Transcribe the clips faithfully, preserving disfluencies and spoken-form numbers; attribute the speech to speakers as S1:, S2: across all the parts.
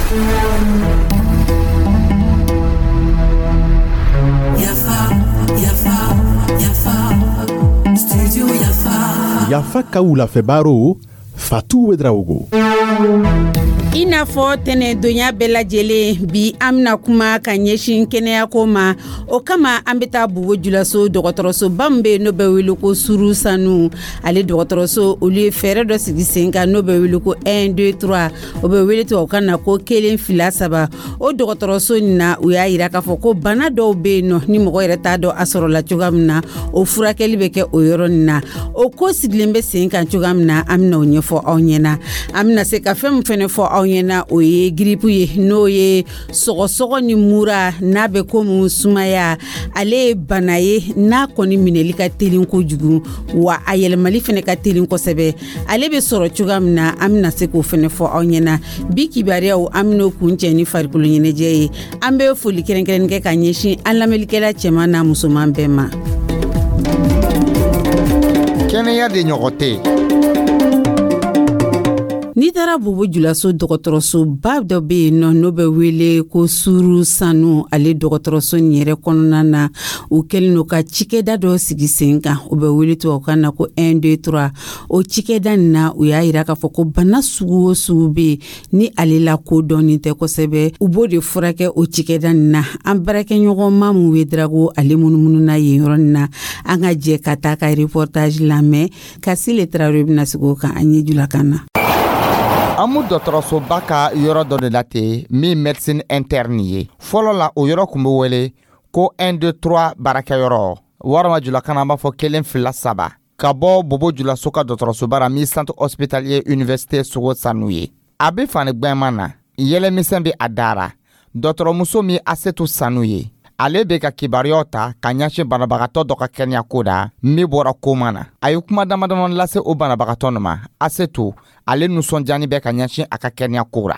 S1: Yafa, yafa, yafa, studio Yafa.
S2: Yafa ka wulafɛ Fatou Ouédraogo.
S3: I n'a fɔ tɛnɛdonya bɛɛ lajɛlen, bi an bena kuma ka ɲɛsin kɛnɛyako ma. O kama, an be taa Bobo Julaso dɔgɔtɔrɔsoba min be, n'o bɛ wele ko Suru Sanu. Ale dɔgɔtɔrɔso, olu ye fɛɛrɛ dɔ sigi sen kan, n'o bɛ wele ko un deux trois, o bɛ wele tubabukan na ko kelen fila saba. O dɔgɔtɔrɔso nin na, u y'a yira k'a fɔ ko bana dɔw be yen nɔ, ni mɔgɔ yɛrɛ t'a dɔn a sɔrɔla cogoya min na, o furakɛli bɛ kɛ o yɔrɔ nin na. O ko sigilen bɛ sen kan cogoya min na, an bɛna o ɲɛfɔ aw ɲɛna. An bɛna se ka fɛn min fɛnɛ fɔ aw ɲɛna, o ye grippe ye, n'o ye sɔgɔsɔgɔ ni mura, n'a bɛ komi sumaya. Ale ye bana ye n'a kɔni minɛli ka teli kojugu, wa a yɛlɛmali fɛnɛ ka teli kosɛbɛ. Ale bɛ sɔrɔ cogoya min na, an bɛna se k'o fɛnɛ fɔ aw ɲɛna. Bi kibaruyaw, an bɛn'o kuncɛ ni farikolo ɲɛnajɛ ye. An bɛ foli kɛrɛnkɛrɛnnen kɛ ka ɲɛsin an lamɛnlikɛla cɛman n'a musoman bɛɛ ma.
S4: Kɛnɛya de ɲɔgɔn tɛ.
S3: N'i taara Bobo Julaso, dɔgɔtɔrɔsoba dɔ bɛ yen nɔ, n'o bɛ wele ko Suru Sanu. Ale dɔgɔtɔrɔso nin yɛrɛ kɔnɔna na, u kɛlen don ka cikɛda dɔ sigi sen kan, o bɛ wele tubabukan na ko un deux trois. O cikɛda nin na, u y'a yira k'a fɔ ko bana sugu o sugu bɛ yen ni ale la ko dɔɔnin tɛ kosɛbɛ, u b'o de furakɛ o cikɛda nin na. An baarakɛɲɔgɔn Mamu Wedrago, ale munumunu yen yɔrɔ nin na. An ka jɛ ka taa ka reportage lamɛn. Kasile Tarawele bɛna sigi o kan an ye julakan na.
S4: An mu dɔgɔtɔrɔsoba ka yɔrɔ dɔ de la ten min médecine interne ye. Fɔlɔ la, o yɔrɔ tun bɛ wele ko un deux trois baarakɛyɔrɔ, walima julakan an b'a fɔ kelen fila saba, ka bɔ Bobo Julaso ka dɔgɔtɔrɔsoba la min centre hospitalier université Sogo Sanu ye. A bɛ fani gwɛnman na, yɛlɛmisɛn bɛ a dara. Dɔgɔtɔrɔmuso min Asetu Sanu ye, ale bɛ ka kibaruyaw ta ka ɲɛsin banabagatɔ dɔ ka kɛnɛyako da min bɔra koma na. A ye kuma damadama lase o banabagatɔ nin ma. Asetu, ale nisɔndiyani bɛ ka ɲɛsin a ka kɛnɛyako la.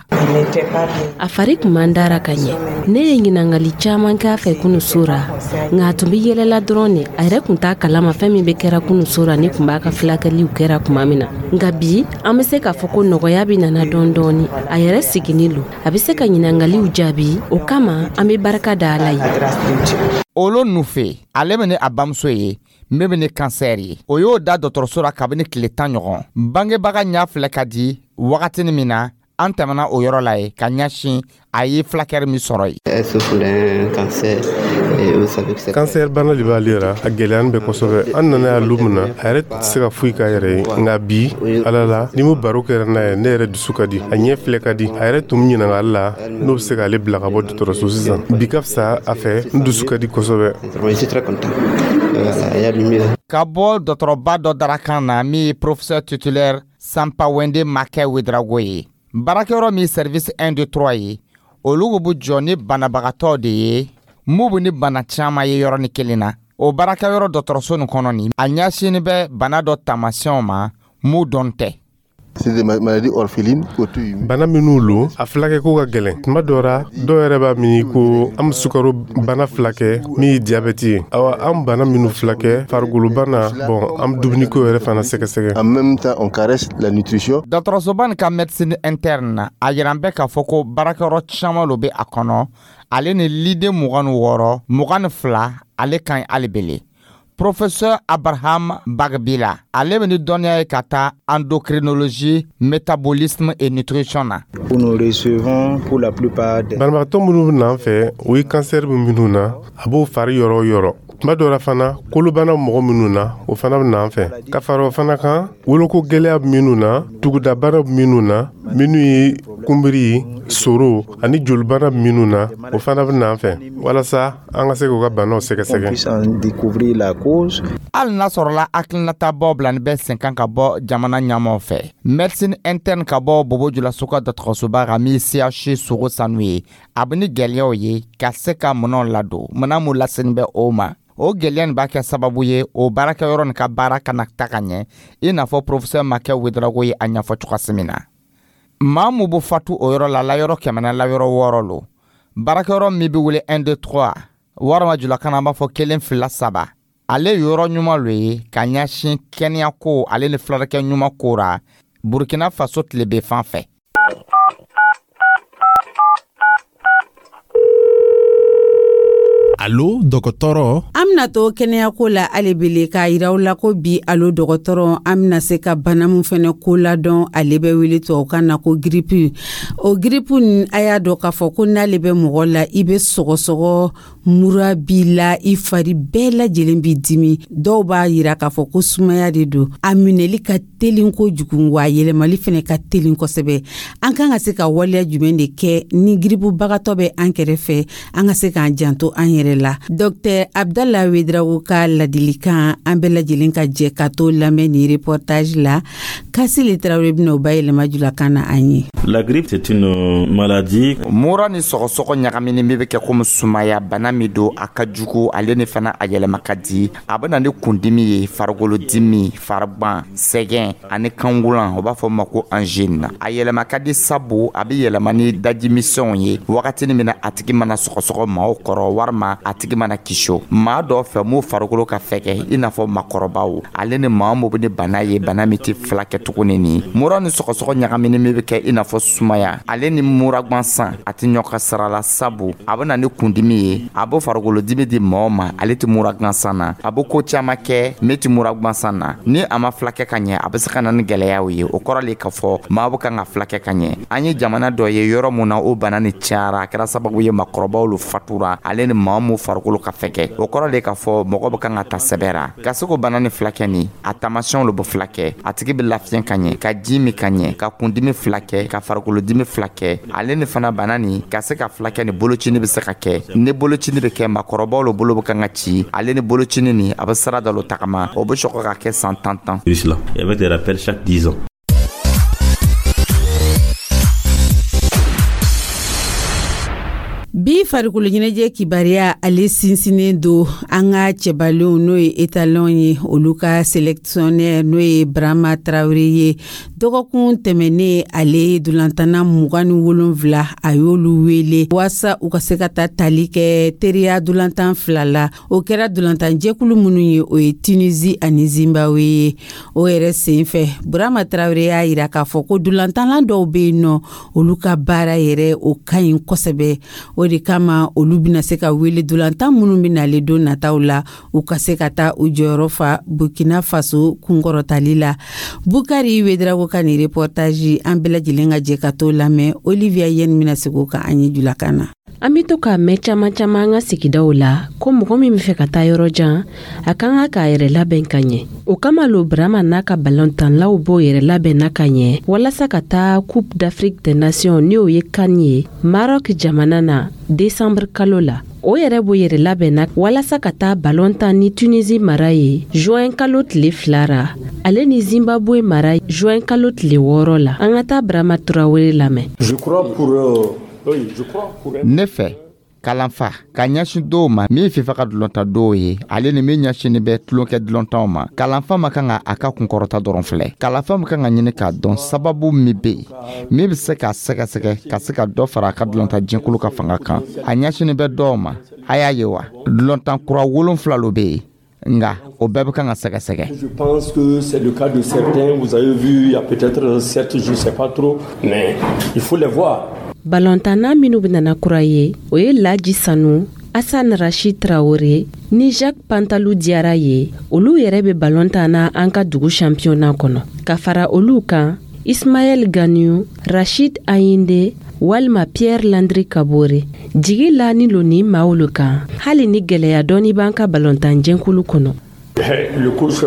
S5: A fari kun man dara ka ɲɛ. Ne ye ɲiningali caaman k'a fɛ kunu so ra, nka a tun be yɛlɛla dɔrɔn ne. A yɛrɛ kun t'a kalama fɛn min be kɛra kunu so ra. Ne kun b'a ka filakɛliw kɛra tuma min na. Nka bi, an be se k'a fɔ ko nɔgɔya be nana dɔɔni dɔɔni. A yɛrɛ siginin lo, a be se ka ɲiningaliw jaabi. O kama, an be barika da Ala ye.
S4: Olo Nufe, ale bɛ ni a bamuso ye min bɛ ni kansɛri ye, o y'o da dɔgɔtɔrɔso la kabini tile tan ɲɔgɔn. Bangebaga ɲa filɛ ka di wagatinin min na, an tɛmɛna o yɔrɔ la ye ka ɲɛsin a ye fulakɛri min sɔrɔ yen.
S6: Kansɛri bana de b'ale ra, a gɛlɛyani bɛ kosɛbɛ. An nana yan lu min na, a yɛrɛ tɛ se ka foyi k'a yɛrɛ ye. Nka bi, Ala la, ni mu baro kɛra n'a ye, ne yɛrɛ dusu ka di, a ɲɛ filɛ ka di. A yɛrɛ tun ɲininkali la n'o bɛ se k'ale bila ka bɔ dɔgɔtɔrɔso sisan. Bi ka fisa a fɛ, n dusu ka di kosɛbɛ.
S4: Ka bɔ dɔgɔtɔrɔba dɔ darakan na min ye professeur titulaire Sampa Wende Makɛ Wedrago ye, baarakɛyɔrɔ min service un deux trois ye, olu bɛ jɔ ni banabagatɔ de ye mun bɛ ni bana caman ye yɔrɔnin kelen na. O baarakɛyɔrɔ dɔgɔtɔrɔso nin kɔnɔ nin, a ɲɛsinnin bɛ bana dɔ taamasiyɛnw ma mun dɔn tɛ.
S6: Bana minnu lo, a fulakɛko ka gɛlɛn. Tuma dɔ ra, dɔw yɛrɛ b'a miiri ko an bɛ sukaro bana filakɛ min ye diyabɛti ye. Awa, an bana minnu filakɛ, farikolo bana, bɔn, an bɛ dumuniko yɛrɛ fana sɛgɛsɛgɛ.
S4: Dɔgɔtɔrɔsoba nin ka médecine interne na, a yiran bɛ k'a fɔ ko baarakɛyɔrɔ caman lo bɛ a kɔnɔ. Ale ni liden mugan ni wɔɔrɔ, mugan ni fila, ale ka ɲi hali bele. Professeur Abraham Bagbila, ale bɛ ni dɔnniya ye ka taa endocrinologie, métabolisme et nutrition na.
S6: Banabagatɔ minnu bɛ n'an fɛ, o ye kansɛri bɛ minnu na, a b'o fari yɔrɔ o yɔrɔ. Tuma dɔ la fana, kolobana mɔgɔ minnu na, o fana bɛ n'an fɛ. Ka fara o fana kan, woloko gɛlɛya minnu na, tugudabana minnu na, minnu ye kunbiri, soro ani jolibana minnu na, o fana bɛ n'an fɛ walasa an ka se k'u ka banaw sɛgɛsɛgɛ.
S4: Hali n'a sɔrɔla hakilinatabaw bilani bɛ sen kan ka bɔ jamana ɲɛmaw fɛ, médecine interne ka bɔ Bobo Julaso ka dɔgɔtɔrɔsoba kan min C H Sogo Sanu ye, a bɛ ni gɛlɛyaw ye ka se ka minɛnw ladon, minɛn mun laseni bɛ o ma. O gɛlɛya nin b'a kɛ sababu ye o baarakɛyɔrɔ nin ka baara kana ta ka ɲɛ, i n'a fɔ professeur Makɛ Wedrago ye a ɲɛfɔ cogoya min na. Maa mun bɛ fatu o yɔrɔ la, layɔrɔ kɛmɛ na layɔrɔ wɔɔrɔ lo. Baarakɛyɔrɔ min bɛ wele un deux trois, walima julakan na an b'a fɔ kelen fila saba, ale yɔrɔ ɲuman lo ye ka ɲɛsin kɛnɛyako ale ni furakɛ ɲuman ko ra Burkina Faso tilebe fan fɛ.
S2: Alo dɔgɔtɔrɔ.
S3: An bena to kɛnɛyako la alebele k'a yira la ko bi Alo dɔgɔtɔrɔ, an bena se ka bana min fɛnɛ ko ladɔn, ale bɛ wele tubabukan na ko grippe. O grippe nin, a y'a dɔn k'a fɔ ko n'ale bɛ mɔgɔ la, i bɛ sɔgɔsɔgɔ, mura b'i la, i fari bɛɛ lajɛlen b'i dimi. Dɔw b'a yira k'a fɔ ko sumaya de don. A minɛli ka telin kojugu, wa a yɛlɛmali fɛnɛ ka telin kosɛbɛ. An kan ka se ka waleya jumɛn de kɛ ni giribubagatɔ bɛ an kɛrɛfɛ, an ka se k'an janto an yɛrɛ la? Dɔktɛr Abdala Wedrago ka ladilikan, an bɛɛ lajɛlen ka jɛ ka to lamɛn ni reportage la. Kasile Tarawele bɛna o bayɛlɛma julakan na an ye.
S7: La grippe, c'est une maladie.
S4: Mura ni sɔgɔsɔgɔ ɲagamini min bɛ kɛ komi sumaya, bana min don, a ka jugu, ale ni fana a yɛlɛma ka di. A bɛ na ni kundimi ye, farikolodimi, farigban, sɛgɛn ani kangulan, o b'a fɔ ma ko angine. A yɛlɛma ka di sabu a bɛ yɛlɛma ni dajimisɛnw ye wagatini min na a tigi mana sɔgɔsɔgɔ maaw kɔrɔ, walima a tigi mana kiso maa dɔ fɛ m'u farikolo ka fɛgɛ, i n'a fɔ makɔrɔbaw, ale ni maa min bɛ ni bana ye, bana min tɛ filakɛ tuguni. Ni mura ni sɔgɔsɔgɔ ɲagamini min bɛ kɛ i n'a fɔ sumaya, ale ni mura gansan, a tɛ ɲɔgɔn ka sira la, sabu a bɛ na ni kundimi ye, a bɛ farikolodimi di mɔgɔ ma, ale tɛ mura gansan na. A bɛ ko caman kɛ min tɛ mura gansan na. Ni a ma filakɛ ka ɲɛ, a bɛ se ka na ni gɛlɛyaw ye. O kɔrɔ le k'a fɔ maa bɛ kan ka filakɛ ka ɲɛ. An ye jamana dɔ ye yɔrɔ mun na o bana ni cayara, a kɛra sababu ye makɔrɔbaw lu fatura, ale ni maa mun farikolo ka fɛgɛ. O kɔrɔ le k'a fɔ mɔgɔ bɛ kan ka ta sɛbɛ ra ka se k'o bana ni filakɛ. Ni a taamasiyɛnw lo bɛ filakɛ: a tigi bɛ lafiɲɛ ka ɲɛ, ka ji min ka ɲɛ, ka kundimi filakɛ, ka farikolodimi filakɛ, ale ni fana bana ni ka se ka filakɛ ni bolocini bɛ se ka kɛ. Ni bolocini bɛ kɛ, makɔrɔbaw lo bolo bɛ kan ka ci, ale ni bolocini ni a bɛ sira dɔ lo tagama, o bɛ sɔrɔ ka kɛ san tan tan.
S7: Et avec des rappels chaque dix ans.
S3: Bi farikolo ɲɛnajɛ kibaruya, ale sinsinnen don an ka cɛbalenw, n'o ye Étalon ye, olu ka sélectionneur, n'o ye Brama Tarawele ye. Dɔgɔkun tɛmɛnen, ale dolantanna mugan ni wolonfila, a y'olu wele waasa u ka se ka taa tali kɛ teriya dolantan fila la. O kɛra dolantanjɛkulu minnu ye, o ye Tunisie ani Zimbabwe ye. O yɛrɛ sen fɛ, Brama Tarawele y'a yira k'a fɔ ko dolantanla dɔw bɛ yen nɔ, olu ka baara yɛrɛ o ka ɲi kosɛbɛ. O de kama olu bɛna se ka wele dolantan minnu bɛ nalen don nataw la, u ka se ka taa u jɔyɔrɔ fa Burkina Faso kunkɔrɔtali la. Bukari Wedrago ka nin reportage, an bɛɛ lajɛlen ka jɛ ka t'o lamɛn. Olivia Yen bɛna segin o kan an ye julakan na.
S5: An bɛ to k'a mɛn caman caman an ka sigidaw la ko mɔgɔ min bɛ fɛ ka taa yɔrɔ jan, a kan ka k'a yɛrɛ labɛn ka ɲɛ. O kama lo Brama n'a ka balontanlaw b'o yɛrɛ labɛn na ka ɲɛ walasa ka taa Coupe d'Afrique des Nations, ni o ye CAN ye, Maroc jamana na décembre kalo la. O yɛrɛ b'o yɛrɛ labɛn na walasa ka taa balon tan ni Tunisie mara ye juin kalo tile fila ra, ale ni Zimbabwe mara juin kalo tile wɔɔrɔ la. An ka taa Brama Turawele lamɛn.
S8: Je crois pour, euh, oui, je crois pour
S4: Ne fɛ, kalanfa ka ɲɛsin dɔw ma min FIFA ka dulɔnta dɔw ye, ale ni min ɲɛsinni bɛ tulonkɛ dulɔntanw ma, kalanfa ma kan ka a ka kunkɔrɔta dɔrɔn filɛ. Kalanfa ma kan ka ɲini k'a dɔn sababu min bɛ yen min bɛ se k'a sɛgɛsɛgɛ ka se ka dɔ fara a ka dulɔnta jɛkulu ka fanga kan. A ɲɛsinni bɛ dɔw ma, a y'a ye wa, dulɔntan kura wolonfila lo bɛ yen, nka o bɛɛ bɛ kan ka sɛgɛsɛgɛ.
S8: Je pense que c'est le cas de certains. Vous avez vu, il y a peut-être sept, je ne sais pas trop, mais il faut les voir.
S5: Balontanna minnu bɛnana kura ye, o ye Laji Sanu, Asan Rashid Traore ni Jacques Pantalu Diyara ye. Olu yɛrɛ bɛ balon tan na an ka dugu championnat kɔnɔ. Ka fara olu kan, Ismaɛl Ganiyu, Rashid Ayinde walima Pierre Landry Kabore. Jigi la ni lo nin maaw lo kan, hali ni gwɛlɛya dɔɔni b'an ka balontan jɛnkulu kɔnɔ.
S8: Le coach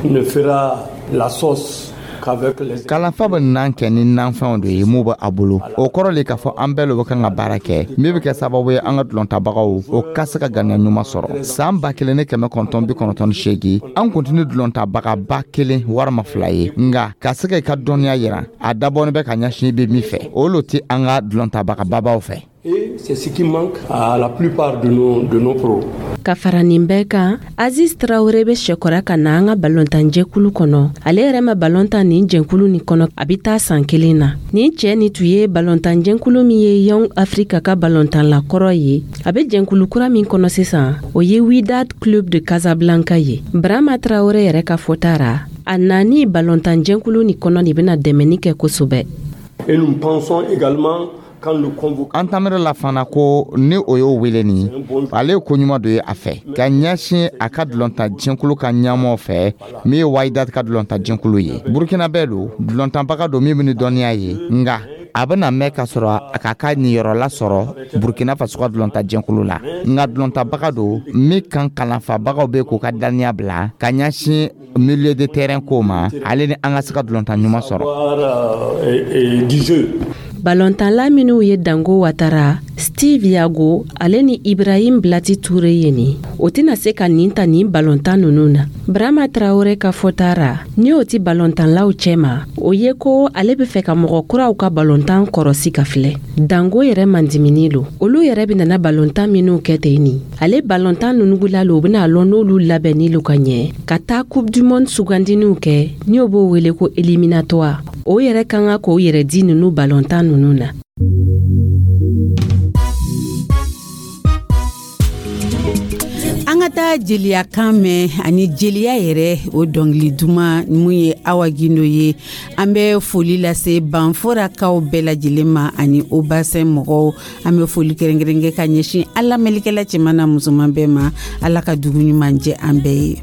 S8: ne fera la sauce qu'avec les
S4: Kalanfa bɛ nan kɛ ni nanfɛnw de ye mun bɛ a bolo. O kɔrɔ le k'a fɔ an bɛɛ lo bɛ kan ka baara kɛ min bɛ kɛ sababu ye an ka dulɔntabagaw o ka se ka ganiya ɲuman sɔrɔ. San ba kelen ni kɛmɛ kɔnɔntɔn bi kɔnɔntɔn ni seegin, an kun tɛ ni dulɔntabagaba kelen walima fila ye, nka ka se ka i ka dɔnniya yira, a dabɔnin bɛ ka ɲɛsin i bɛ min fɛ, o lo tɛ an ka dulɔntabagababaw fɛ.
S8: Et c'est ce qui manque à la plupart de nos, de nos pros.
S5: Ka fara nin bɛɛ kan, Aziz Tarawele bɛ sɛkɔra ka na an ka balontanjɛkulu kɔnɔ. Ale yɛrɛ ma balontan nin jɛnkulu nin kɔnɔ, a bɛ taa san kelen na. Nin cɛɛ ni tun ye balontanjɛnkulu min ye Young Africa ka balontanlakɔrɔ ye. A bɛ jɛnkulu kura min kɔnɔ sisan, o ye Wydad Club de Casablanca ye. Brama Tarawele yɛrɛ ka fɔta ra, a nani balontanjɛnkulu nin kɔnɔ nin bɛna dɛmɛni kɛ kosɛbɛ.
S8: Et nous pensons également
S4: An tamira la fana ko ni o y'o wele nin, ale ye ko ɲuman dɔ ye a fɛ ka ɲɛsin a ka dulɔntan jɛkulu ka ɲɛmɔgɔ fɛ, min ye Wydad ka dulɔntan jɛkulu ye. Burukina bɛɛ don, dulɔntanbaga don min bɛ ni dɔnniya ye, nka a bɛna mɛn ka sɔrɔ a k'a ka niyɔrɔla sɔrɔ Burukina Faso ka dulɔntan jɛkulu la, nka dulɔntanbaga don min kan kalanfabagaw bɛ k'u ka daniya bila ka ɲɛsin milieu de terrain ko ma, ale ni an ka se ka dulɔntan ɲuman sɔrɔ.
S5: Balɔntanla minw ye Dango Watara, Steve Yago, ale ni Ibrahim Blati Ture ye nin, o tɛna se ka nin ta nin balɔntan nunu na. Brama Tarawure ka fɔta ra, ni o ti balɔntanlaw cɛma, o ye ko ale be fɛ ka mɔgɔ kuraw ka balɔntan kɔrɔsi ka filɛ. Dango yɛrɛ mandimini lo, olu yɛrɛ benana balɔntan minw kɛ ten nin, ale balɔntan nunugula lo, u bena lɔn n'olu labɛnni lo ka ɲɛ ka taa Coupe du monde sugandiniw kɛ, ni o b'o wele ko éliminatoire. O yɛrɛ kan ka k'o yɛrɛ di nunu balɔntan nunu na.
S3: An ka taa jeliya kan mɛn ani jeliya yɛrɛ, o dɔnkili duman mun ye Awa Gindo ye. An bɛ foli lase Banforakaw bɛɛ lajɛlen ma ani Obasɛn mɔgɔw. An bɛ foli kɛrɛnkɛrɛn kɛ ka ɲɛsin an lamɛnlikɛla cɛman na musoman bɛɛ ma. Ala ka dugu ɲuman jɛ an bɛɛ ye.